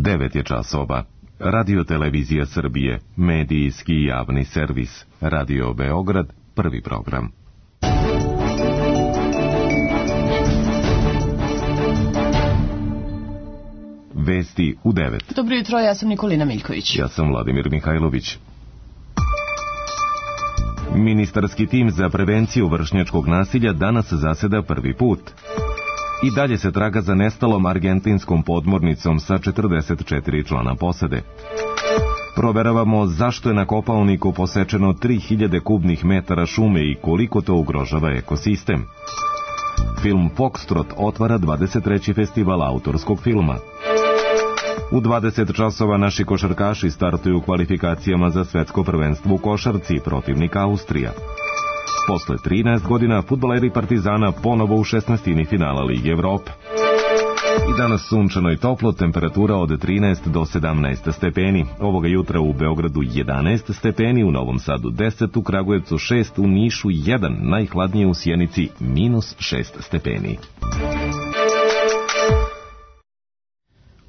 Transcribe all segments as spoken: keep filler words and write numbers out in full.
devet je časova. Radio Televizija Srbije, medijski javni servis. Radio Beograd, prvi program. Vesti u devet. Dobro jutro, ja sam Nikolina Miljković. Ja sam Vladimir Mihajlović. Ministarski tim za prevenciju vršnjačkog nasilja danas zaseda prvi put. I dalje se traga za nestalom argentinskom podmornicom sa četrdeset četiri člana posade. Proveravamo zašto je na Kopaoniku posečeno tri hiljade kubnih metara šume i koliko to ugrožava ekosistem. Film Foxtrot otvara dvadeset treći festival autorskog filma. U dvadeset časova naši košarkaši startuju u kvalifikacijama za svetsko prvenstvo u košarci, protivnik Austrija. Posle trinaest godina fudbaleri Partizana ponovo u šesnaestini finala Lige Evrope. I danas sunčano i toplo, temperatura od trinaest do sedamnaest stepeni. Ovoga jutra u Beogradu jedanaest stepeni, u Novom Sadu deset, u Kragujevcu šest, u Nišu jedan, najhladnije u Sjenici minus šest stepeni.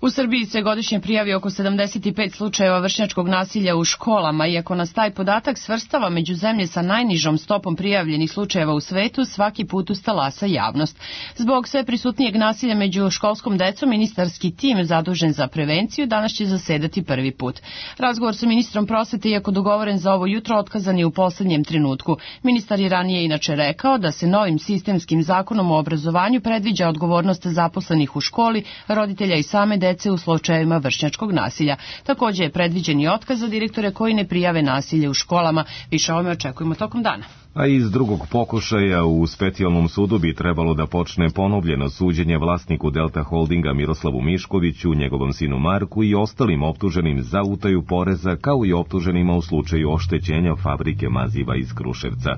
U Srbiji se godišnje prijavi oko sedamdeset pet slučajeva vršnjačkog nasilja u školama, iako nas taj podatak svrstava među zemlje sa najnižom stopom prijavljenih slučajeva u svetu, svaki put ustalasa javnost. Zbog sve prisutnijeg nasilja među školskom decom, ministarski tim zadužen za prevenciju danas će zasedati prvi put. Razgovor sa ministrom prosvete, iako dogovoren za ovo jutro, otkazan je u poslednjem trenutku. Ministar je ranije inače rekao da se novim sistemskim zakonom o obrazovanju predviđa odgovornost zaposlenih u školi, roditelja i same dece u slučajevima vršnjačkog nasilja. Također je predviđen i otkaz za direktore koji ne prijave nasilje u školama. Više o ovome očekujemo tokom dana. A iz drugog pokušaja u specijalnom sudu bi trebalo da počne ponovljeno suđenje vlasniku Delta Holdinga Miroslavu Miškoviću, njegovom sinu Marku i ostalim optuženim za utaju poreza, kao i optuženima u slučaju oštećenja fabrike maziva iz Kruševca.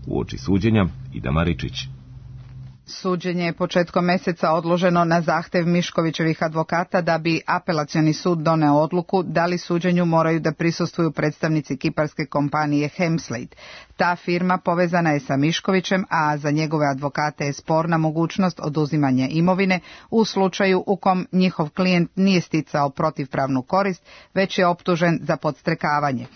Uoči suđenja Ida Maričić. Suđenje je početkom meseca odloženo na zahtev Miškovićevih advokata da bi apelacioni sud doneo odluku da li suđenju moraju da prisustvuju predstavnici kiparske kompanije Hemslade. Ta firma povezana je sa Miškovićem, a za njegove advokate je sporna mogućnost oduzimanja imovine u slučaju u kom njihov klijent nije sticao protivpravnu korist, već je optužen za podstrekavanje.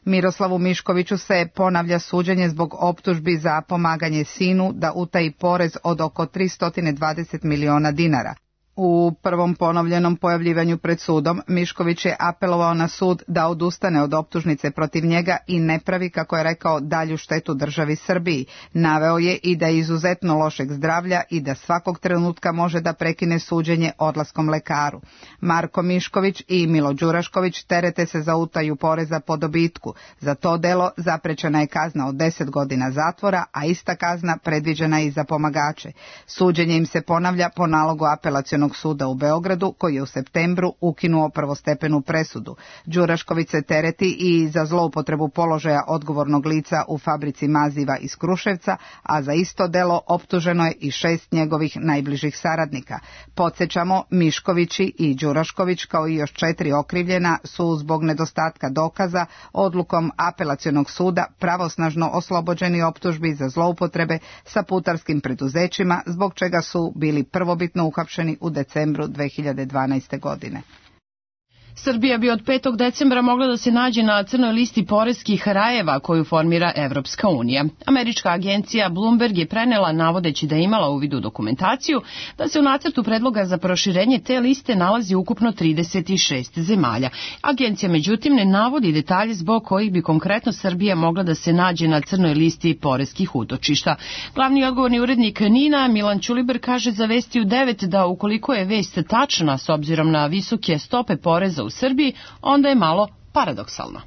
Miroslavu Miškoviću se ponavlja suđenje zbog optužbi za pomaganje sinu da utaji porez od oko tristo dvadeset miliona dinara. U prvom ponovljenom pojavljivanju pred sudom, Mišković je apelovao na sud da odustane od optužnice protiv njega i ne pravi, kako je rekao, dalju štetu državi Srbiji. Naveo je i da je izuzetno lošeg zdravlja i da svakog trenutka može da prekine suđenje odlaskom lekaru. Marko Mišković i Milo Đurašković terete se za utaju poreza po dobitku. Za to delo zaprećena je kazna od deset godina zatvora, a ista kazna predviđena i za pomagače. Suđenje im se ponavlja po nalogu apelacionog suda u Beogradu, koji je u septembru ukinuo prvostepenu presudu. Đurašković se tereti i za zloupotrebu položaja odgovornog lica u fabrici maziva iz Kruševca, a za isto delo optuženo je i šest njegovih najbližih saradnika. Podsjećamo, Miškovići i Đurašković, kao i još četiri okrivljena, su zbog nedostatka dokaza odlukom apelacionog suda pravosnažno oslobođeni optužbi za zloupotrebe sa putarskim preduzećima, zbog čega su bili prvobitno uhapšeni u decembru dve hiljade dvanaeste. godine. Srbija bi od petog decembra mogla da se nađe na crnoj listi poreskih rajeva koju formira Evropska unija. Američka agencija Bloomberg je prenela, navodeći da je imala uvid u dokumentaciju, da se u nacrtu predloga za proširenje te liste nalazi ukupno trideset šest zemalja. Agencija međutim ne navodi detalje zbog kojih bi konkretno Srbija mogla da se nađe na crnoj listi poreskih utočišta. Glavni odgovorni urednik Nina, Milan Ćuliber, kaže za Vesti u devet da ukoliko je vest tačna s obzirom na visoke stope poreza u Srbiji, onda je malo paradoksalno.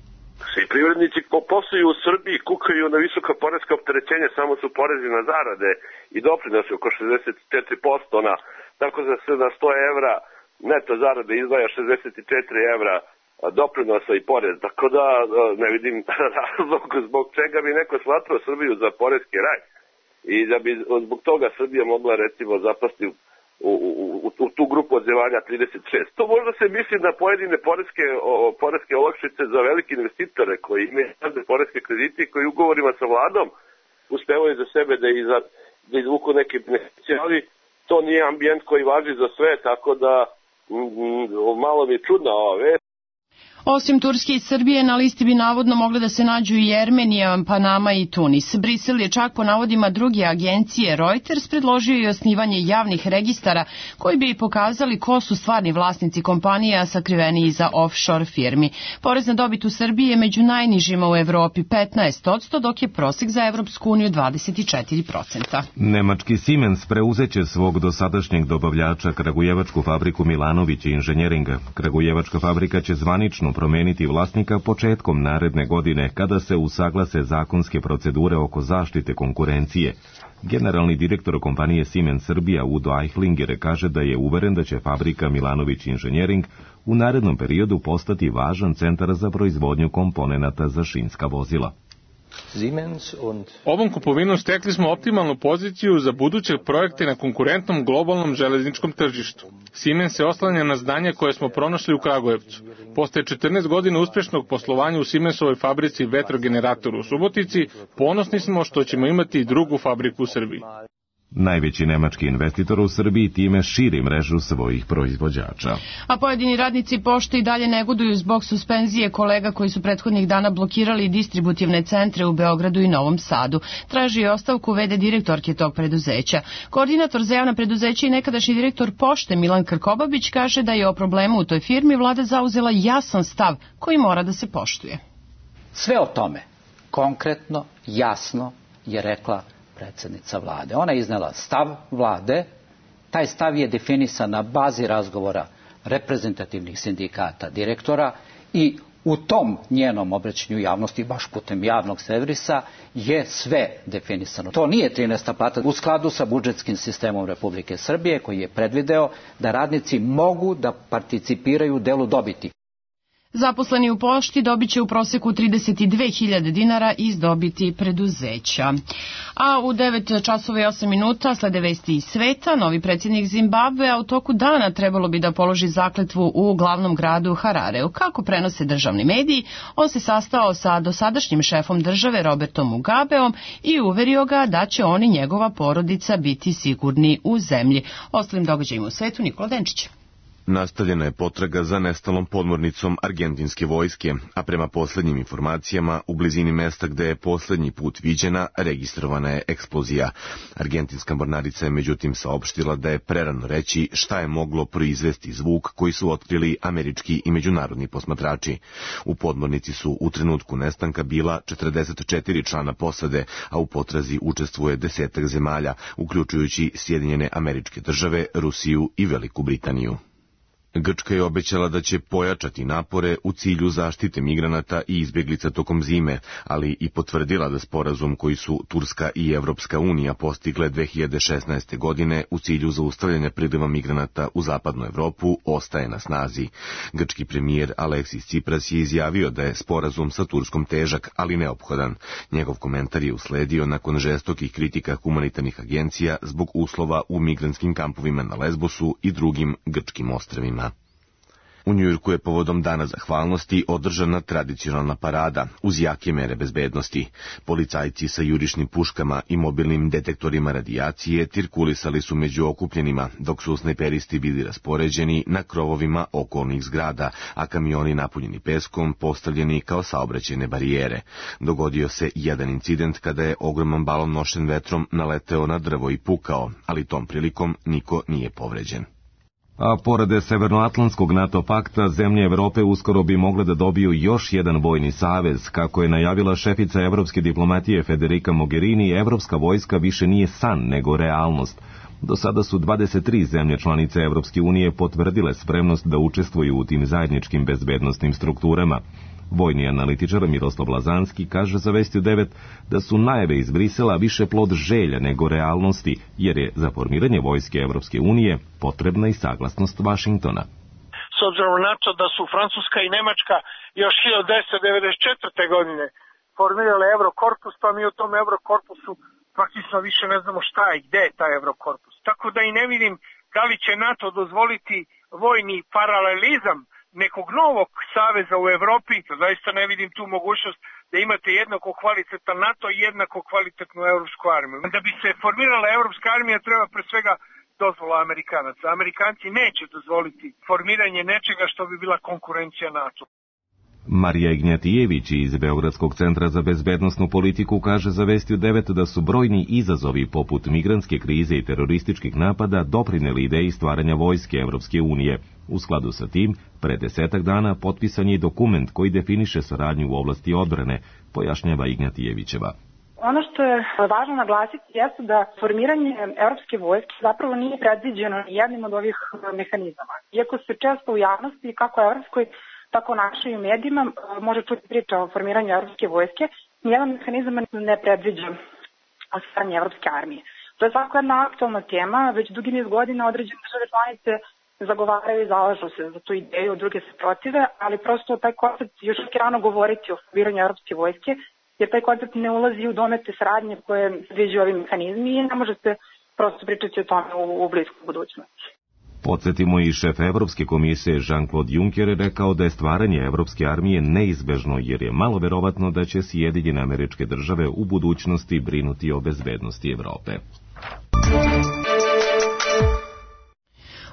Svi privrednici ko posluju u Srbiji kukaju na visoka poreska opterećenja, samo su porezi na zarade i doprinose oko šezdeset četiri posto, na, tako da se na sto evra neto zarade izdvaja šezdeset četiri evra doprinosa i porez. Tako da ne vidim razlog zbog čega bi neko smatrao Srbiju za poreski raj i da bi zbog toga Srbija mogla recimo zapasti U, u, u tu grupu od zemalja trideset šest. To možda se misli na pojedine poreske, o, poreske olakšice za velike investitore koji imaju poreske kredite i koji ugovorima sa vladom uspevaju za sebe da, iza, da izvuku neke investicije, ali to nije ambijent koji važi za sve, tako da malo mi je čudna ova vest. Osim Turske i Srbije, na listi bi navodno mogle da se nađu i Jermenija, Panama i Tunis. Brisel je čak po navodima druge agencije Reuters predložio i osnivanje javnih registara koji bi pokazali ko su stvarni vlasnici kompanija sakriveni iza offshore firmi. Porez na dobit u Srbiji je među najnižima u Evropi petnaest posto, dok je prosek za Evropsku uniju dvadeset četiri posto. Nemački Siemens preuzeće svog dosadašnjeg dobavljača kragujevačku fabriku Milanović inženjeringa. Kragujevačka fabrika će zvanično promeniti vlasnika početkom naredne godine kada se usaglase zakonske procedure oko zaštite konkurencije. Generalni direktor kompanije Siemens Srbija Udo Eichlinger kaže da je uveren da će fabrika Milanović inženjering u narednom periodu postati važan centar za proizvodnju komponenata za šinska vozila. Ovom kupovinom stekli smo optimalnu poziciju za buduće projekte na konkurentnom globalnom železničkom tržištu. Siemens se oslanja na znanje koje smo pronašli u Kragujevcu. Posle četrnaest godina uspešnog poslovanja u Siemensovoj fabrici vetrogeneratoru u Subotici, ponosni smo što ćemo imati drugu fabriku u Srbiji. Najveći nemački investitor u Srbiji time širi mrežu svojih proizvođača. A pojedini radnici pošte i dalje negoduju zbog suspenzije kolega koji su prethodnih dana blokirali distributivne centre u Beogradu i Novom Sadu. Traži i ostavku ve de direktorke tog preduzeća. Koordinator za javna preduzeća i nekadašnji direktor pošte Milan Krkobabić kaže da je o problemu u toj firmi vlada zauzela jasan stav koji mora da se poštuje. Sve o tome konkretno, jasno je rekla predsjednica vlade. Ona je iznela stav vlade, taj stav je definisan na bazi razgovora reprezentativnih sindikata direktora i u tom njenom obraćanju javnosti, baš putem javnog servisa, je sve definisano. To nije trinaesta plata u skladu sa budžetskim sistemom Republike Srbije koji je predvideo da radnici mogu da participiraju u delu dobiti. Zaposleni u pošti dobit će u proseku trideset dve hiljade dinara iz dobiti preduzeća. A u devet časova i osam minuta slede vesti iz sveta. Novi predsjednik Zimbabvea u toku dana trebalo bi da položi zakletvu u glavnom gradu Harareu. Kako prenose državni mediji, on se sastao sa dosadašnjim šefom države Robertom Mugabeom i uverio ga da će on i njegova porodica biti sigurni u zemlji. Ostalim događajima u svetu, Nikola Denčić. Nastavljena je potraga za nestalom podmornicom argentinske vojske, a prema poslednjim informacijama u blizini mesta gde je poslednji put viđena registrovana je eksplozija. Argentinska mornarica je međutim saopštila da je prerano reći šta je moglo proizvesti zvuk koji su otkrili američki i međunarodni posmatrači. U podmornici su u trenutku nestanka bila četrdeset četiri člana posade, a u potrazi učestvuje desetak zemalja, uključujući Sjedinjene Američke Države, Rusiju i Veliku Britaniju. Grčka je obećala da će pojačati napore u cilju zaštite migranata i izbjeglica tokom zime, ali i potvrdila da sporazum koji su Turska i Evropska unija postigle dve hiljade šesnaeste. godine u cilju zaustavljanja priliva migranata u zapadnu Evropu ostaje na snazi. Grčki premijer Aleksis Tsipras je izjavio da je sporazum sa Turskom težak, ali neophodan. Njegov komentar je usledio nakon žestokih kritika humanitarnih agencija zbog uslova u migrantskim kampovima na Lesbosu i drugim grčkim ostrvima. U Njujorku je povodom Dana zahvalnosti održana tradicionalna parada uz jake mere bezbednosti. Policajci sa jurišnim puškama i mobilnim detektorima radijacije cirkulisali su među okupljenima, dok su snajperisti bili raspoređeni na krovovima okolnih zgrada, a kamioni napunjeni peskom postavljeni kao saobraćajne barijere. Dogodio se jedan incident kada je ogroman balon nošen vetrom naleteo na drvo i pukao, ali tom prilikom niko nije povređen. A pored Severnoatlantskog NATO pakta, zemlje Evrope uskoro bi mogle da dobiju još jedan vojni savez. Kako je najavila šefica evropske diplomatije Federica Mogherini, evropska vojska više nije san, nego realnost. Do sada su dvadeset tri zemlje članice Evropske unije potvrdile spremnost da učestvuju u tim zajedničkim bezbednostnim strukturama. Vojni analitičar Miroslav Lazanski kaže za Vesti u devet da su najave iz Brisela više plod želja nego realnosti, jer je za formiranje vojske Evropske unije potrebna i saglasnost Vašingtona. S obzirom na to da su Francuska i Nemačka još hiljadu devetsto devedeset četvrte. godine formirale Eurokorpus, pa mi u tom Eurokorpusu praktično više ne znamo šta je, gde je taj Eurokorpus. Tako da i ne vidim da li će NATO dozvoliti vojni paralelizam nekog novog saveza u Evropi. Zaista ne vidim tu mogućnost da imate jednako kvalitetan NATO i jednako kvalitetnu evropsku armiju. Da bi se formirala evropska armija treba pre svega dozvola Amerikanaca. Amerikanci neće dozvoliti formiranje nečega što bi bila konkurencija NATO. Marija Ignjatijević iz Beogradskog centra za bezbednosnu politiku kaže za Vesti u devet da su brojni izazovi poput migrantske krize i terorističkih napada doprineli ideji stvaranja vojske Evropske unije. U skladu sa tim, pre desetak dana potpisan je dokument koji definiše saradnju u oblasti odbrane, pojašnjava Ignjatijevićeva. Ono što je važno naglasiti jeste da formiranje evropske vojske zapravo nije predviđeno ni jednim od ovih mehanizama. Iako se često u javnosti, kako evropskoj, tako našoj i u medijima, može čuti priča o formiranju evropske vojske, nijedan mehanizam ne predviđa stvaranje evropske armije. To je svako jedna aktualna tema, već dugi niz godina određene države članice zagovaraju i zalažu se za tu ideju, druge se protive, ali prosto taj koncept još uvijek je rano govoriti o formiranju evropske vojske, jer taj koncept ne ulazi u domete saradnje koje predviđaju ovi mehanizmi i ne može se prosto pričati o tome u, u bliskoj budućnosti. Podsjetimo i šef Evropske komisije Jean-Claude Juncker je rekao da je stvaranje Evropske armije neizbežno jer je malo verovatno da će Sjedinjene Američke Države u budućnosti brinuti o bezbednosti Evrope.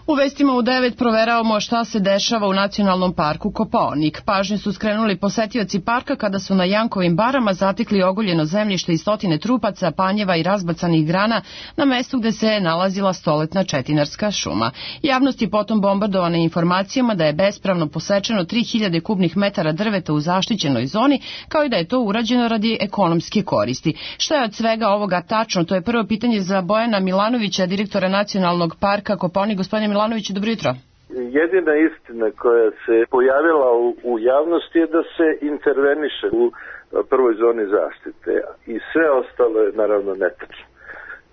U vestima u devet proveravamo šta se dešava u nacionalnom parku Kopaonik. Pažnju su skrenuli posetioci parka kada su na Jankovim barama zatekli ogoljeno zemljište i stotine trupaca, panjeva i razbacanih grana na mestu gde se nalazila stoletna četinarska šuma. Javnost je potom bombardovana informacijama da je bespravno posečeno tri hiljade kubnih metara drveta u zaštićenoj zoni, kao i da je to urađeno radi ekonomske koristi. Šta je od svega ovoga tačno? To je prvo pitanje za Bojana Milanovića, direktora nacionalnog parka Kopaonik. Gospodine Milanović, dobro jutro. Jedina istina koja se pojavila u, u javnosti je da se interveniše u prvoj zoni zaštite i sve ostalo je naravno netačno.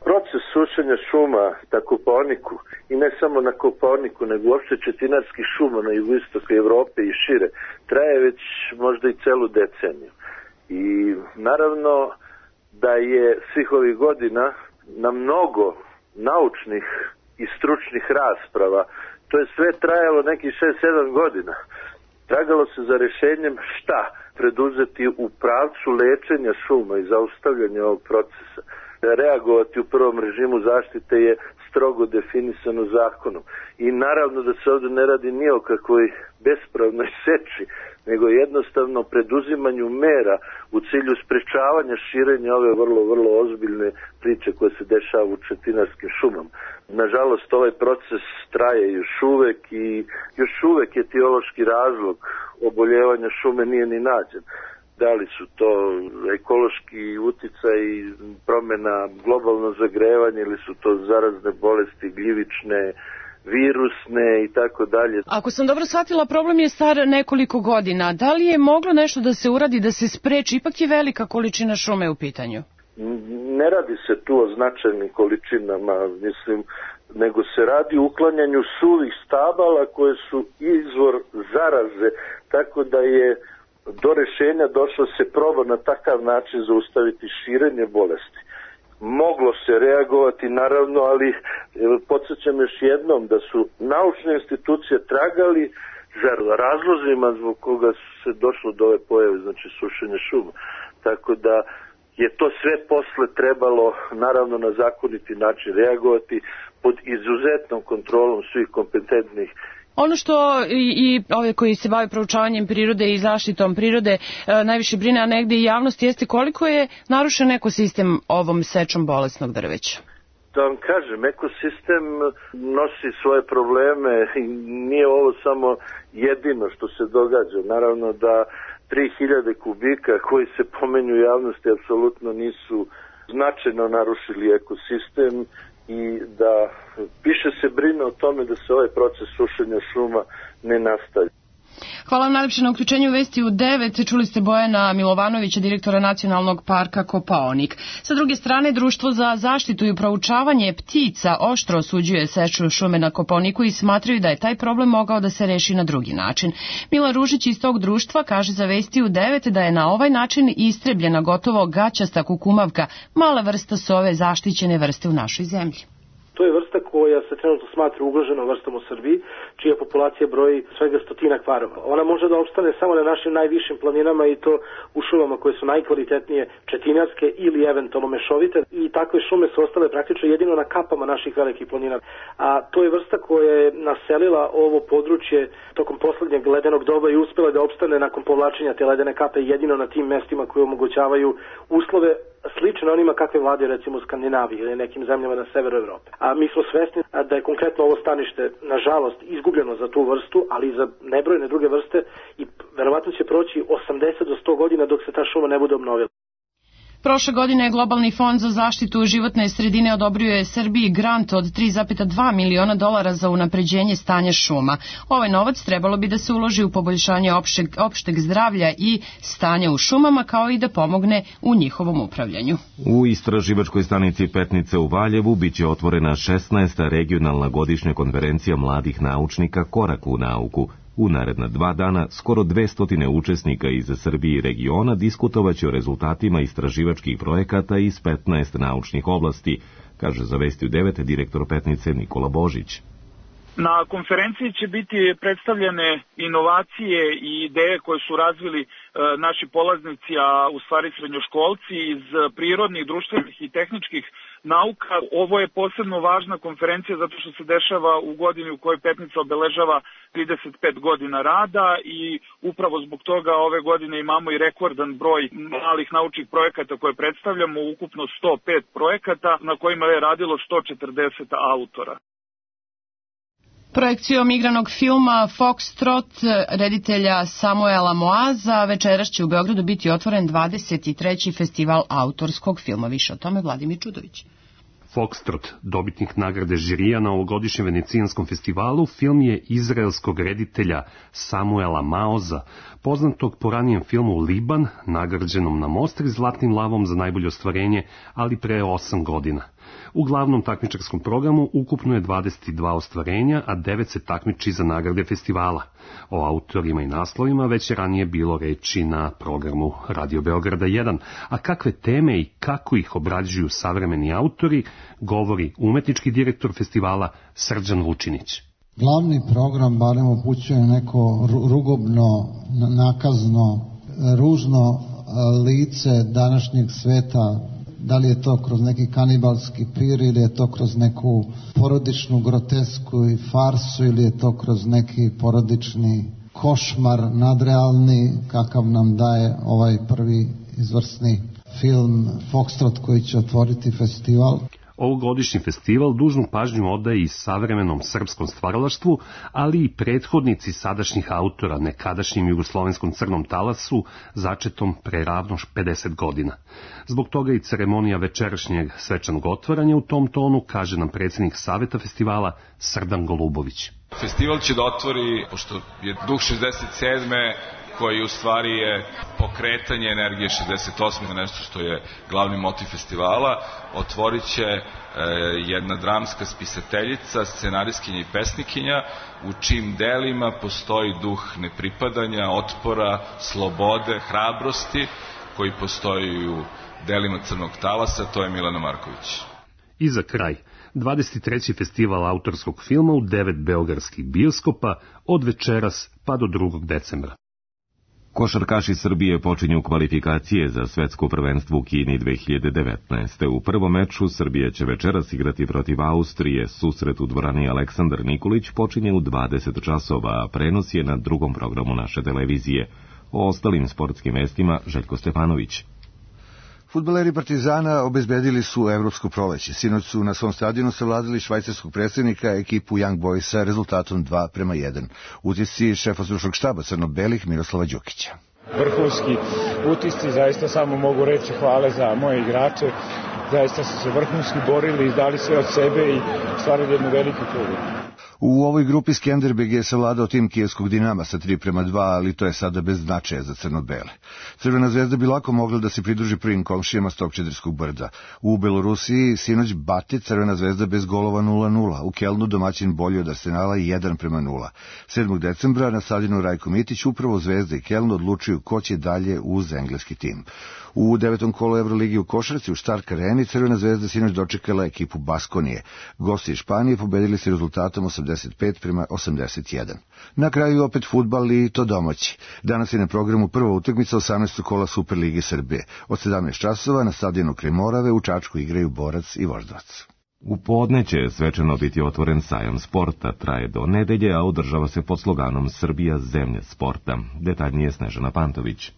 Proces sušenja šuma na Kopaoniku i ne samo na Kopaoniku, nego uopšte četinarskih šuma na jugoistoku Evrope i šire traje već možda i celu deceniju. I naravno da je svih ovih godina na mnogo naučnih i stručnih rasprava, to je sve trajalo nekih šest sedam godina. Tragalo se za rešenjem šta preduzeti u pravcu lečenja šuma i zaustavljanja ovog procesa. Reagovati u prvom režimu zaštite je strogo definisano zakonom. I naravno da se ovdje ne radi ni o kakvoj bespravnoj seči, nego jednostavno preduzimanju mera u cilju sprečavanja širenja ove vrlo, vrlo ozbiljne priče koje se dešava u četinarskim šumama. Nažalost, ovaj proces traje još uvek i još uvek etiološki razlog oboljevanja šume nije ni nađen. Da li su to ekološki uticaj i promjena, globalno zagrevanje ili su to zarazne bolesti, gljivične, virusne i tako dalje. Ako sam dobro shvatila, problem je star nekoliko godina. Da li je moglo nešto da se uradi, da se spreči? Ipak je velika količina šume u pitanju. Ne radi se tu o značajnim količinama, mislim, nego se radi o uklanjanju suvih stabala koje su izvor zaraze, tako da je do rešenja došlo se proba na takav način zaustaviti širenje bolesti. Moglo se reagovati naravno, ali podsjećam još jednom da su naučne institucije tragali za razlozima zbog koga se došlo do ove pojave, znači sušenja šuma. Tako da je to sve posle trebalo naravno na zakoniti način reagovati pod izuzetnom kontrolom svih kompetentnih. Ono što i, i ove koji se bave proučavanjem prirode i zaštitom prirode e, najviše brine, a negdje i javnost, jeste koliko je narušen ekosistem ovom sečom bolesnog drveća. Da vam kažem, ekosistem nosi svoje probleme i nije ovo samo jedino što se događa. Naravno da tri hiljade kubika koji se pomenju u javnosti apsolutno nisu značajno narušili ekosistem i da više se brine o tome da se ovaj proces sušenja šuma ne nastavi. Hvala vam najlepše na uključenju Vesti u devet. Čuli ste Bojana Milovanovića, direktora nacionalnog parka Kopaonik. Sa druge strane, Društvo za zaštitu i proučavanje ptica oštro osuđuje seču šume na Kopaoniku i smatraju da je taj problem mogao da se reši na drugi način. Milan Ružić iz tog društva kaže za Vesti u devet da je na ovaj način istrebljena gotovo gaćasta kukumavka, mala vrsta sove zaštićene vrste u našoj zemlji. To je vrsta koja se trenutno smatra ugroženom vrstom u Srbiji, čija populacija broji svega stotinak parova. Ona može da opstane samo na našim najvišim planinama i to u šumama koje su najkvalitetnije četinarske ili eventualno mešovite i takve šume su ostale praktično jedino na kapama naših velikih planina. A to je vrsta koja je naselila ovo područje tokom poslednjeg ledenog doba i uspela da opstane nakon povlačenja te ledene kape jedino na tim mestima koje omogućavaju uslove slične onima kakve vlade recimo u Skandinaviji ili nekim zemljama na severu Evrope. A mi smo svesni da je konkretno ovo stanište nažalost izgubljeno za tu vrstu, ali i za nebrojne druge vrste i verovatno će proći osamdeset do sto godina dok se ta šuma ne bude obnovila. Prošle godine je Globalni fond za zaštitu životne sredine odobrio je Srbiji grant od tri zarez dva miliona dolara za unapređenje stanja šuma. Ovaj novac trebalo bi da se uloži u poboljšanje opšteg, opšteg zdravlja i stanja u šumama, kao i da pomogne u njihovom upravljanju. U istraživačkoj stanici Petnice u Valjevu biće otvorena šesnaesta regionalna godišnja konferencija mladih naučnika Korak u nauku. U naredna dva dana skoro dvesta učesnika iz Srbije i regiona diskutovaće o rezultatima istraživačkih projekata iz petnaest naučnih oblasti, kaže za Vesti u devet direktor Petnice Nikola Božić. Na konferenciji će biti predstavljene inovacije i ideje koje su razvili e, naši polaznici, a u stvari srednjoškolci iz prirodnih, društvenih i tehničkih nauka. Ovo je posebno važna konferencija zato što se dešava u godini u kojoj Petnica obeležava trideset pet godina rada i upravo zbog toga ove godine imamo i rekordan broj malih naučnih projekata koje predstavljamo, ukupno sto pet projekata na kojima je radilo sto četrdeset autora. Projekcijom igranog filma Foxtrot reditelja Samuela Moaza večeras će u Beogradu biti otvoren dvadeset treći festival autorskog filma. Više o tome Vladimir Čudović. Foxtrot, dobitnik nagrade žirija na ovogodišnjem venecijanskom festivalu, film je izraelskog reditelja Samuela Maoza, poznatog po ranijem filmu Liban, nagrađenom na Mostri zlatnim lavom za najbolje ostvarenje, ali pre osam godina. U glavnom takmičarskom programu ukupno je dvadeset dva ostvarenja, a devet se takmiči za nagrade festivala. O autorima i naslovima već je ranije bilo reči na programu Radio Beograda jedan, a kakve teme i kako ih obrađuju savremeni autori, govori umetnički direktor festivala Srđan Vučinić. Glavni program barem upućuje neko rugobno, nakazno, ružno lice današnjeg sveta. Da li je to kroz neki kanibalski pir ili je to kroz neku porodičnu grotesku i farsu ili je to kroz neki porodični košmar nadrealni kakav nam daje ovaj prvi izvrsni film Foxtrot koji će otvoriti festival. Ovogodišnji festival dužnu pažnju odaje i savremenom srpskom stvaralaštvu, ali i prethodnici sadašnjih autora nekadašnjim jugoslovenskom crnom talasu, začetom pre ravno pedeset godina. Zbog toga i ceremonija večerašnjeg svečanog otvaranja u tom tonu, kaže nam predsjednik Saveta festivala Srdan Golubović. Festival će da otvori, pošto je duh šezdeset sedme koji u stvari je pokretanje energije šezdeset osme, nešto što je glavni motiv festivala, otvorit će e, jedna dramska spisateljica, scenarijskinja i pesnikinja, u čim delima postoji duh nepripadanja, otpora, slobode, hrabrosti, koji postoji u delima Crnog talasa, to je Milana Marković. I za kraj, dvadeset treći festival autorskog filma u devet beogradskih bioskopa od večeras pa do drugog decembra. Košarkaši Srbije počinju kvalifikacije za svetsko prvenstvo u Kini dve hiljade devetnaeste. U prvom meču Srbija će večeras igrati protiv Austrije. Susret u dvorani Aleksandar Nikolić počinje u dvadeset časova, a prenos je na drugom programu naše televizije. O ostalim sportskim vestima Željko Stefanović. Fudbaleri Partizana obezbedili su evropsko proleće. Sinoć su na svom stadionu savladali švajcarskog predstavnika ekipu Young Boysa rezultatom dva prema jedan. Utisci šefa stručnog štaba crno-belih Miroslava Đukića. Vrhunski utisci, zaista samo mogu reći hvale za moje igrače. Zaista su se vrhunski borili, izdali sve od sebe i stvarili jednu veliku pobjedu. U ovoj grupi Skenderbeg je savladao tim kijevskog Dinama sa tri prema dva, ali to je sada bez značaja za crno-bele. Crvena zvezda bi lako mogla da se pridruži prvim komšijama s tog Čederskog brda. U Belorusiji sinoć Bati Crvena zvezda bez golova nula nula. U Kelnu domaćin bolji od Arsenala jedan prema nula. sedmog decembra na stadionu Rajko Mitić upravo Zvezda i Keln odlučuju ko će dalje uz engleski tim. U devetom kolu Euroligi u košarci u Stark Areni Crvena zvezda sinoć dočekala ekipu Baskonije. Gosti iz Španije pobedili se rezultatom osamdeset pet prema osamdeset jedan. Na kraju opet fudbal i to domaći. Danas je na programu prva utakmica osamnaestog kola Superlige Srbije. Od sedamnaest časova na stadionu kraj Morave u Čačku igraju Borac i Voždovac. U podne će svečano biti otvoren sajam sporta, traje do nedelje, a održava se pod sloganom Srbija zemlja sporta. Detaljnije Snežana Pantović.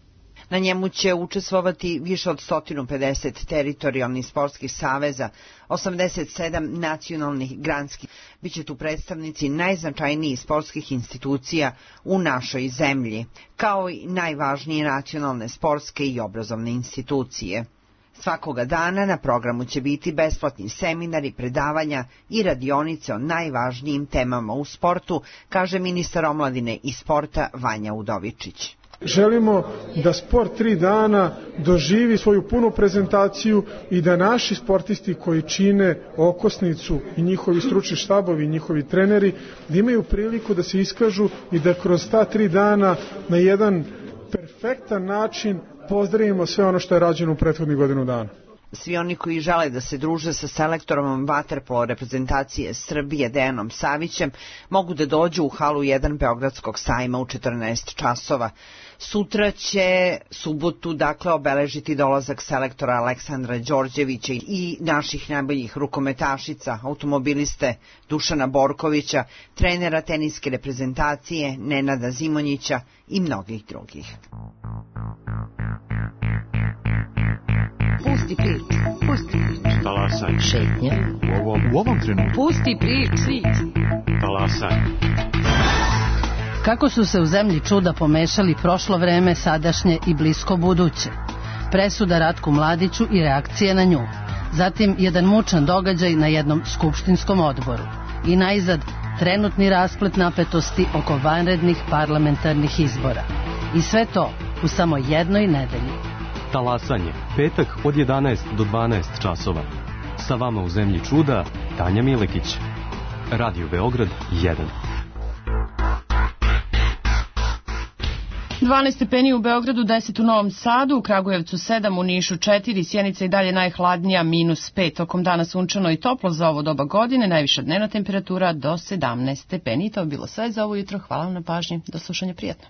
Na njemu će učestvovati više od sto pedeset teritorijalnih sportskih saveza, osamdeset sedam nacionalnih granskih. Biće tu predstavnici najznačajnijih sportskih institucija u našoj zemlji, kao i najvažnije nacionalne sportske i obrazovne institucije. Svakoga dana na programu će biti besplatni seminari, predavanja i radionice o najvažnijim temama u sportu, kaže ministar omladine i sporta Vanja Udovičić. Želimo da sport tri dana doživi svoju punu prezentaciju i da naši sportisti koji čine okosnicu i njihovi stručni štabovi i njihovi treneri da imaju priliku da se iskažu i da kroz ta tri dana na jedan perfektan način pozdravimo sve ono što je rađeno u prethodnih godinu dana. Svi oni koji žele da se druže sa selektorom vaterpolo reprezentacije Srbije Dejanom Savićem mogu da dođu u halu jedan Beogradskog sajma u četrnaest časova. Sutra će subotu dakle obeležiti dolazak selektora Aleksandra Đorđevića i naših najboljih rukometašica, automobiliste Dušana Borkovića, trenera teniske reprezentacije Nenada Zimonjića i mnogih drugih. Pusti priču, pusti priču. Talasaj. Šetnja. U ovom, u ovom trenutku. Pusti priču. Talasaj. Kako su se u zemlji čuda pomešali prošlo vreme, sadašnje i blisko buduće. Presuda Ratku Mladiću i reakcije na nju. Zatim jedan mučan događaj na jednom skupštinskom odboru. I najzad trenutni rasplet napetosti oko vanrednih parlamentarnih izbora. I sve to u samo jednoj nedelji. Talasanje, petak od jedanaest do dvanaest časova. Sa vama u zemlji čuda, Tanja Milekić. Radio Beograd jedan. dvanaest stepeni u Beogradu, deset u Novom Sadu, u Kragujevcu sedam, u Nišu četiri, Sjenica i dalje najhladnija, minus pet. Tokom dana sunčano i toplo za ovo doba godine, najviša dnevna temperatura do sedamnaest stepeni. To je bilo sve za ovo jutro. Hvala vam na pažnji. Do slušanja, prijatno.